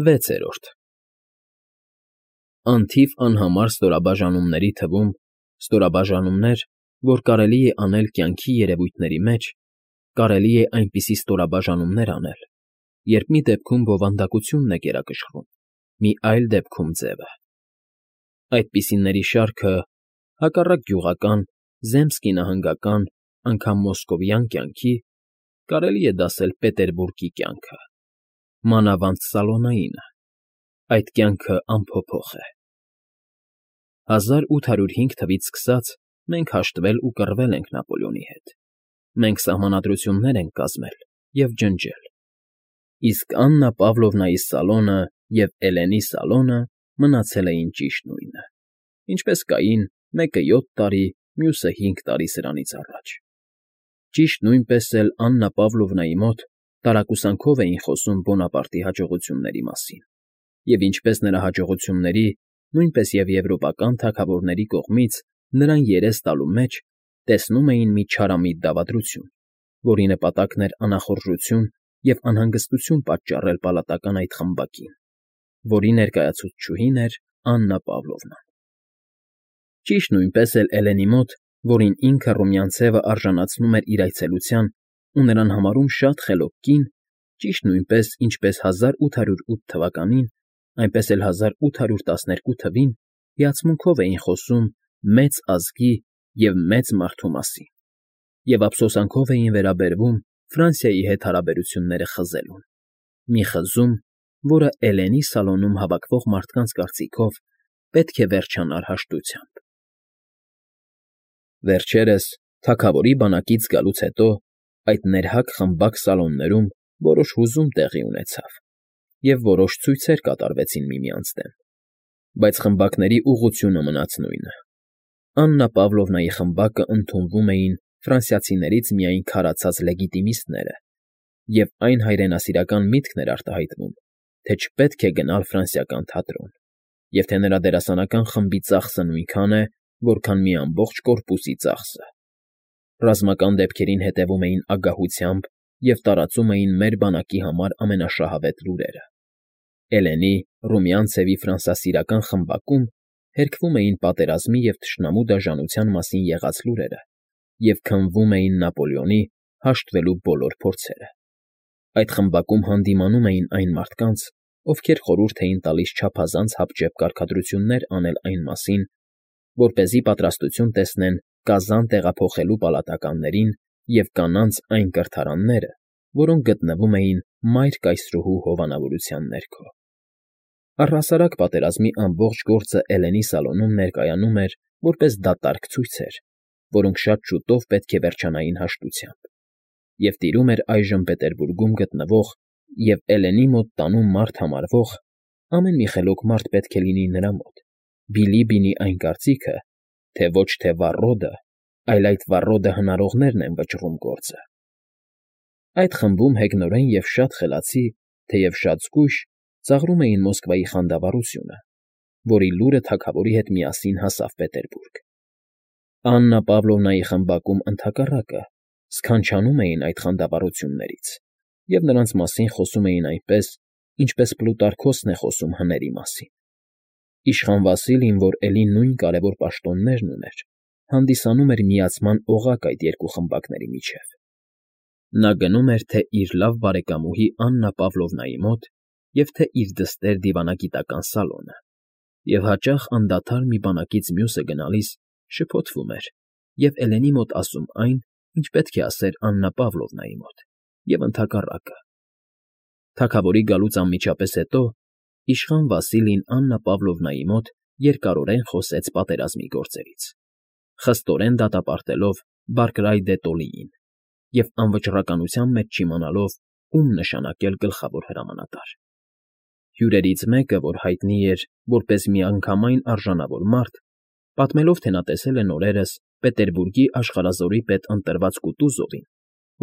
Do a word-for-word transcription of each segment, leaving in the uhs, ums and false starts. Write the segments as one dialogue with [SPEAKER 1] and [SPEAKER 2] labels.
[SPEAKER 1] ՎԵՑԵՐՈՐԴ Անթիվ անհամար ստորաբաժանումների թվում ստորաբաժանումներ, որ կարելի է անել կյանքի երևույթների մեջ, կարելի է այնպիսի ստորաբաժանումներ անել, երբ մի դեպքում բովանդակությունն է գերակշռում, մի այլ դեպքում՝ ձևը. այդպիսիների շարքը, հակառակ գյուղական, զեմսկի֊նահանգական, անգամ մոսկովյան կյանքի, կարելի է դասել Պետերբուրգի կյանքը, մանավանդ Սալոնայինը. այդ կյանքը անփոփոխ է։ հազար ութ հարյուր հինգ թվականից սկսած մենք հաշտվել ու կռվել ենք Նապոլեոնի հետ, մենք սահմանադրություններ ենք կազմել և ջնջել, իսկ Աննա Պավլովնայի սալոնը և Էլենի սալոնը մնացել էին ճիշտ նույնը, ինչպես կային մեկը յոթ տարի, մյուսը հինգ տարի սրանից առաջ. ճիշտ նույնպես էլ Աննա Պավլովնայի մոտ տարակուսանքով էին խոսում Բոնապարտի հաջողությունների մասին, և ինչպես նրա հաջողությունների, նույնպես և եվրոպական թագավորների կողմից նրան երես տալու մեջ տեսնում էին մի չարամիտ դավադրություն, որի նպատակն էր անախորժություն և անհանգստություն պատճառել պալատական այդ խմբակին, որի ներկայացուցչուհին էր Աննա Պավլովնան։ Ճիշտ նույնպես էլ Էլենի մոտ, որին ինքը Ռումյանցևը արժանացնում էր իր այցելության ու նրան համարում շատ խելոք կին, ճիշտ նույնպես, ինչպես հազար ութ հարյուր ութ թվականին, այնպես էլ հազար ութ հարյուր տասներկու թվին հիացմունքով էին խոսում մեծ ազգի և մեծ մարդու մասին, և ափսոսանքով էին վերաբերվում Ֆրանսիայի հետ հարաբերությունները խզելուն, մի խզում, որը Էլենի սալոնում հավաքվող մարդկանց կարծիքով պետք է վերջանար հաշտությամբ։ Վերջերս, թագավորի բանակից գալուց հետո, այդ ներհակ խմբակ սալոններում որոշ հուզում տեղի ունեցավ, և որոշ ցույցեր կատարվեցին միմյանց դեմ, բայց խմբակների ուղղությունը մնաց նույնը. Աննա Պավլովնայի խմբակը ընդունվում էին ֆրանսիացիներից միայն քարացած լեգիտիմիստները, և այն հայրենասիրական միտքն էր արտահայտվում, թե չպետք է գնալ ֆրանսիական թատրոն, և թե նրա դերասանական խմբի ծախսը նույնքան է, որքան մի ամբողջ կորպուսի ծախսը։ Ռազմական դեպքերին հետևում էին ագահությամբ և տարածում էին մեր բանակի համար ամենաշահավետ լուրերը։ Էլենի, Ռումյանցևի ֆրանսասիրական խմբակում հերքվում էին պատերազմի և թշնամու դաժանության մասին եղած լուրերը և քննվում էին Նապոլեոնի հաշտվելու բոլոր փորձերը։ Այդ խմբակում հանդիմանում էին այն մարդկանց, ովքեր խորհուրդ էին տալիս չափազանց հապճեպ կարգադրություններ անել այն մասին, որպեսզի պատրաստություն տեսնեն կազան տեղափոխելու պալատականներին և կանանց այն կրթարանները, որոնք գտնվում էին Մայր Կայսրուհու հովանավորության ներքո։ Առհասարակ պատերազմի ամբողջ գործը Էլենի սալոնում ներկայանում էր որպես դատարկ ցույցեր, որոնք շատ շուտով պետք է վերջանային հաշտությամբ, և տիրում էր այժմ Պետերբուրգում գտնվող և Էլենի մոտ տանում մարդ համարվող (ամեն մի խելոք մարդ պետք է լինի նրա մոտ) Բիլիբինի այն կարծիքը, թե ոչ թե վառոդը, այլ այդ վառոդը հնարողներն են վճռում գործը։ Այդ խմբում հեգնորեն և շատ խելացի, թեև շատ զգույշ, ծաղրում էին Մոսկվայի խանդավառությունը, որի լուրը թագավորի հետ միասին հասավ Պետերբուրգ։ Աննա Պավլովնայի խմբակում, ընդհակառակը, սքանչանում էին այդ խանդավառություններից և նրանց մասին խոսում էին այնպես, ինչպես Պլուտարքոսն է խոսում հների մասին։ Իշխան Վասիլին, որ էլի նույն կարևոր պաշտոններն ուներ, հանդիսանում էր միացման օղակ այդ երկու խմբակների միջև։ Նա գնում էր թե՛ իր լավ բարեկամուհի Աննա Պավլովնայի մոտ և թե՛ իր դստեր դիվանագիտական սալոնը, և հաճախ անդադար մի բանակից մյուսը գնալիս շփոթվում էր և Էլենի մոտ ասում այն, ինչ պետք է ասեր Աննա Պավլովնայի մոտ, և ընդհակառակը։ Թագավորի գալուց անմիջապես հետո իշխան Վասիլին Աննա Պավլովնայի մոտ երկարորեն խոսեց պատերազմի գործերից, խստորեն դատապարտելով Բարկրայ դե Տոլիին և անվճռականության մեջ չիմանալով, ում նշանակել գլխավոր հրամանատար։ Հյուրերից մեկը, որ հայտնի էր որպես միանգամայն արժանավոր մարդ, պատմելով, թե նա տեսել է նորերս Պետերբուրգի աշխարհազորի պետ ընտրված Կուտուզովին,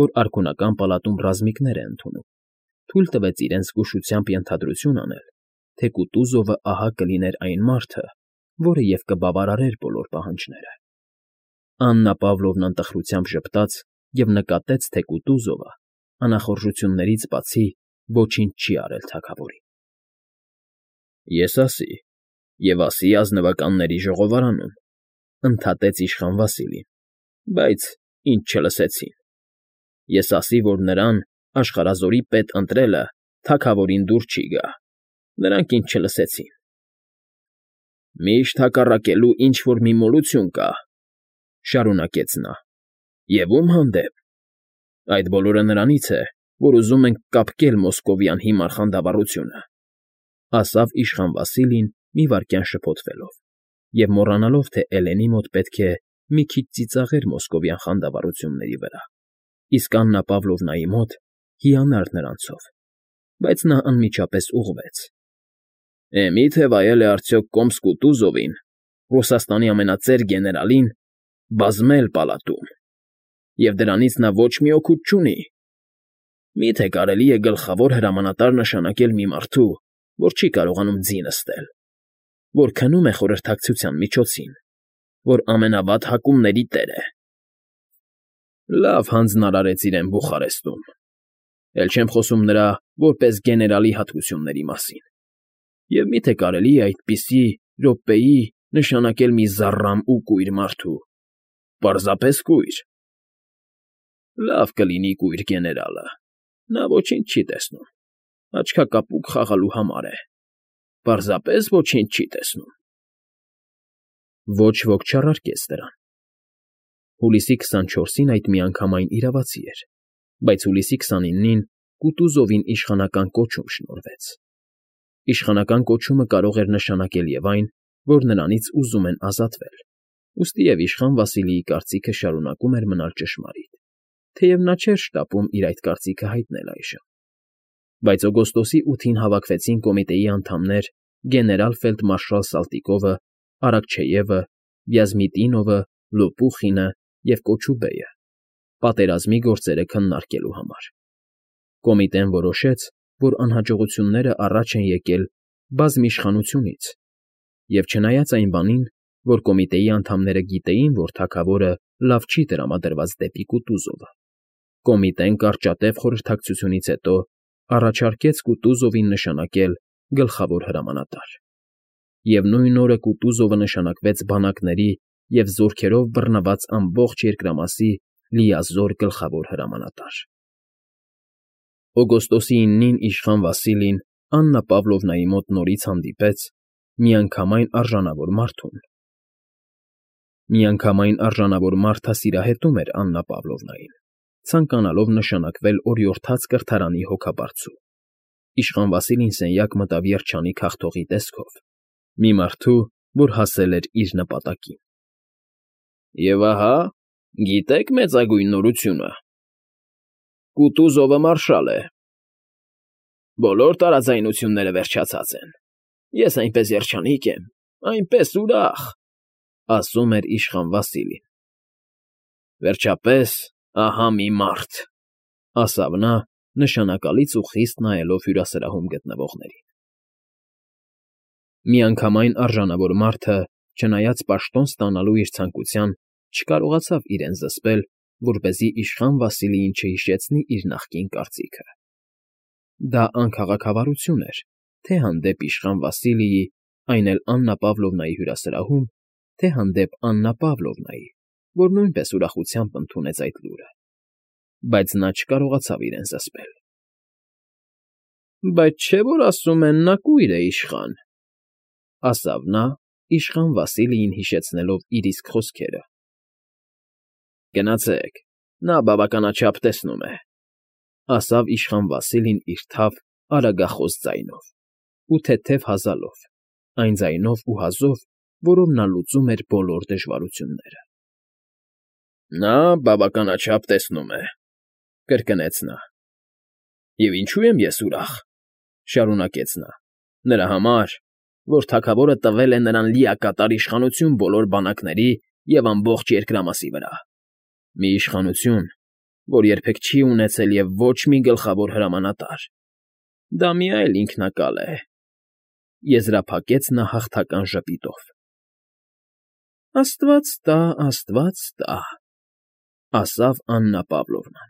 [SPEAKER 1] որ արքունական պալատում ռազմիկներ է ընդունում, թույլ տվեց իրեն զգուշությամբ ենթադրություն անել, թե Կուտուզովը ահա կլիներ այն մարդը, որը և կբավարարեր բոլոր պահանջները։ Աննա Պավլովնան տխրությամբ ժպտաց և նկատեց, թե Կուտուզովը անախորժություններից բացի ոչինչ չի արել թագավորին։ Ես ասի, և ասի ազնվականների ժողովարանում, ընդհատեց իշխան Վասիլին, բայց ինձ չլսեցին։ Ես ասի, որ նրան աշխարհազորի պետ ընտրելը թագավորին դուր չի գա, նրանք ինձ չլսեցին։ Միշտ հակառակելու ինչ֊որ մի մոլություն կա, շարունակեց նա, և ո՞ւմ հանդեպ։ Այդ բոլորը նրանից է, որ ուզում ենք կապկել մոսկովյան հիմար խանդավառությունը, ասավ իշխան Վասիլին մի վայրկյան շփոթվելով և մոռանալով, թե Էլենի մոտ պետք է մի քիչ ծիծաղեր մոսկովյան խանդավառությունների վրա, իսկ Աննա Պավլովնայի մոտ հիանար նրանցով, բայց նա անմիջապես ուղղվեց. Է, մի՞թե վայել է արդյոք Կոմսկ֊Կուտուզովին, Ռուսաստանի ամենածեր գեներալին, բազմել պալատում, և դրանից նա ոչ մի օգուտ չունի։ Մի՞թե կարելի է գլխավոր հրամանատար նշանակել մի մարդու, որ չի կարողանում ձի նստել, որ քնում է խորհրդակցության միջոցին, որ ամենավատ հակումների տեր է։ Լավ հանձնարարեց իրեն Բուխարեստում, էլ չեմ խոսում նրա որպես գեներալի հատկությունների մասին, և մի՞թե կարելի է այդպիսի րոպեի նշանակել մի զառամ ու կույր մարդու, պարզապես կույր։ Լավ կլինի կույր գեներալը, նա ոչինչ չի տեսնում, աչքակապուկ խաղալու համար է, պարզապես ոչինչ չի տեսնում։ Ոչ ոք չառարկեց դրան։ Հուլիսի քսանչորսին այդ միանգամայն իրավացի էր, բայց հուլիսի քսանինին Կուտուզովին իշխանական կոչում շնորհվեց։ Իշխանական կոչումը կարող էր նշանակել և այն, որ նրանից ուզում են ազատվել, ուստիև իշխան Վասիլիի կարծիքը շարունակում էր մնալ ճշմարիտ, թեև նա չէր շտապում իր այդ կարծիքը հայտնել այժմ։ Բայց օգոստոսի ութին հավաքվեցին կոմիտեի անդամներ գեներալ֊ֆելդմարշալ Սալտիկովը, Արաքչեևը, Վյազմիտինովը, Լոպուխինը և Կոչուբեյը, պատերազմի գործերը քննարկելու համար։ Կոմիտեն որոշեց, որ անհաջողությունները առաջ են եկել բազմիշխանությունից, և չնայած այն բանին, որ կոմիտեի անդամները գիտեին, որ թագավորը լավ չի տրամադրված դեպի Կուտուզովը, կոմիտեն կարճատև խորհրդակցությունից հետո առաջարկեց Կուտուզովին նշանակել գլխավոր հրամանատար։ Եվ նույն օրը Կուտուզովը նշանակվեց բանակների և զորքերով բռնված ամբողջ երկրամասի լիազոր գլխավոր հրամանատար։ Օգոստոսի իննին իշխան Վասիլին Աննա Պավլովնայի մոտ նորից հանդիպեց միանգամայն արժանավոր մարդուն։ Միանգամայն արժանավոր մարդը սիրահետում էր Աննա Պավլովնային, ցանկանալով նշանակվել օրիորդաց կրթարանի հոգաբարձու։ Իշխան Վասիլին սենյակ մտավ երջանիկ հաղթողի տեսքով, մի մարդու, որ հասել էր իր նպատակին։ Եվ ահա, գիտե՞ք մեծագույն նորությունը. Կուտուզովը մարշալ է։ Բոլոր տարաձայնությունները վերջացած են։ Ես այնպես երջանիկ եմ, այնպես ուրախ, ասում էր իշխան Վասիլին։ Վերջապես, ահա մի մարդ, ասավ նա, նշանակալից ու խիստ նայելով հյուրասրահում գտնվողներին։ Միանգամայն արժանավոր մարդը, չնայած պաշտոն ստանալու իր ցանկության, չկարողացավ իրեն զսպել, որպեսզի իշխան Վասիլիին չհիշեցնի իր նախկին կարծիքը։ Դա անքաղաքավարություն էր, թե հանդեպ իշխան Վասիլիի, այն էլ Աննա Պավլովնայի հյուրասրահում, թե հանդեպ Աննա Պավլովնայի, որ նույնպես ուրախությամբ ընդունեց այդ լուրը, բայց նա չկարողացավ իրեն զսպել։ Բայց չէ՞ որ ասում են նա կույր է, իշխան, ասավ նա, իշխան Վասիլիին հիշեցնելով իր իսկ խոսքերը։ Գնացեք, նա բավականաչափ տեսնում է, ասավ իշխան Վասիլին իր թավ, արագախոս ձայնով ու թեթև հազալով, այն ձայնով ու հազով, որով նա լուծում էր բոլոր դժվարությունները։ Նա բավականաչափ տեսնում է, կրկնեց նա։ Եվ ինչու եմ ես ուրախ, շարունակեց նա, նրա համար, որ թագավորը տվել է նրան լիակատար իշխանություն բոլոր բանակների և ամբողջ երկրամասի վրա, մի իշխանություն, որ երբեք չի ունեցել և ոչ մի գլխավոր հրամանատար։ Դա մի այլ ինքնակալ է, եզրափակեց նա հաղթական ժպիտով։ Աստված տա, աստված տա, ասավ Աննա Պավլովնան։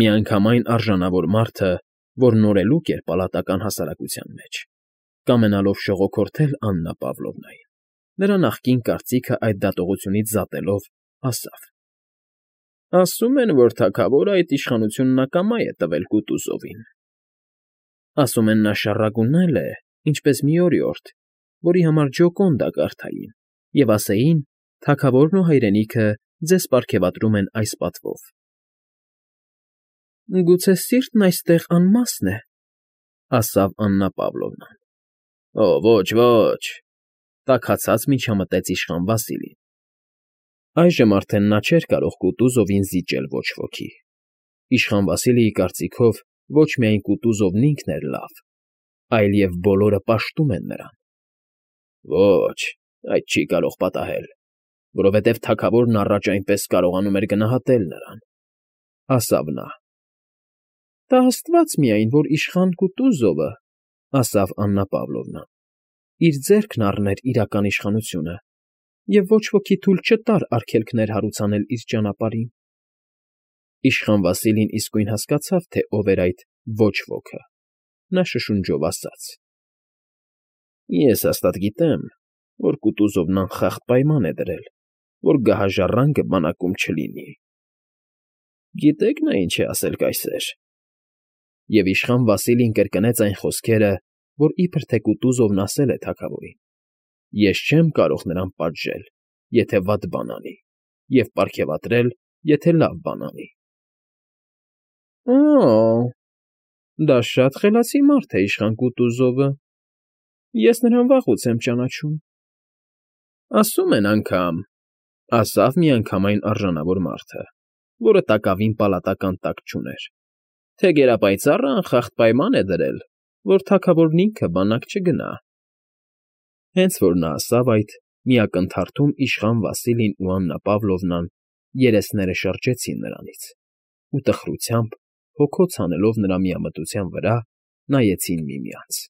[SPEAKER 1] Միանգամայն արժանավոր մարդը, որ նորելուկ էր պալատական հասարակության մեջ, Կամենալով շողոքորթել Աննա Պավլովնային, նրա նախկին կարծիքը այդ դատողությունից զատելով, ասավ. ֊ Ասում են, որ թագավորն այդ իշխանությունն ակամա է տվել Կուտուզովին. ասում են նա շառագունել է, ինչպես մի օրիորդ, որի համար Ջոկոնდა կարդային, և ասեին. թագավորն ու հայրենիքը ձեզ պարգևատրում են այս պատվով։ ֊ Գուցե սիրտն այստեղ անմասն է, ֊ ասավ Աննա Պավլովնան։ ֊ Օ, ոչ, ոչ,֊ տաքացած միջամտեց իշխան Վասիլին։ Այժմ արդեն նա չէր կարող Կուտուզովին զիջել ոչ ոքի. իշխան Վասիլիի կարծիքով ոչ միայն Կուտուզովն ինքն էր լավ, այլև բոլորը պաշտում են նրան։ Ոչ, այդ չի կարող պատահել, որովհետև թագավորն առաջ այնպես կարողանում էր գնահատել նրան,֊ ասավ նա։ ֊ Տա աստված միայն, որ իշխան Կուտուզովը,֊ ասավ Աննա Պավլովնան,֊ իր ձեռքն առներ իրական իշխանությունը և ոչ ոքի թույլ չտար արգելքներ հարուցանել իր ճանապարհին։ Իշխան Վասիլին իսկույն հասկացավ, թե ով էր այդ ոչ ոքը, նա շշունջով ասաց. ֊ Ես հաստատ գիտեմ, որ Կուտուզովն անխախտ պայման է դրել, որ գահաժառանգը բանակում չլինի։ Գիտե՞ք նա ինչ է ասել կայսեր… Եվ իշխան Վասիլին կրկնեց այն խոսքերը, որ իբր թե Կուտուզովն ասել է թագավորին. ես չեմ կարող նրան պատժել, եթե վատ բան անի, և պարգևատրել, եթե լավ բան անի։ ֊ Օ՜, դա շատ խելացի մարդ է իշխան Կուտուզովը, ես նրան վաղուց եմ ճանաչում։ ֊ Ասում են անգամ,֊ ասավ միանգամայն արժանավոր մարդը, որը տակավին պալատական տակ չուներ,֊ թե գերապայծառը անխախտ պայման է դրել, որ թագավորն ինքը բանակ չգնա։ Հենց որ նա ասավ այդ, մի ակնթարթում իշխան Վասիլին ու Աննա Պավլովնան երեսները շրջեցին նրանից ու տխրությամբ, հոգոց հանելով նրա միամտության վրա, նայեցին միմյանց։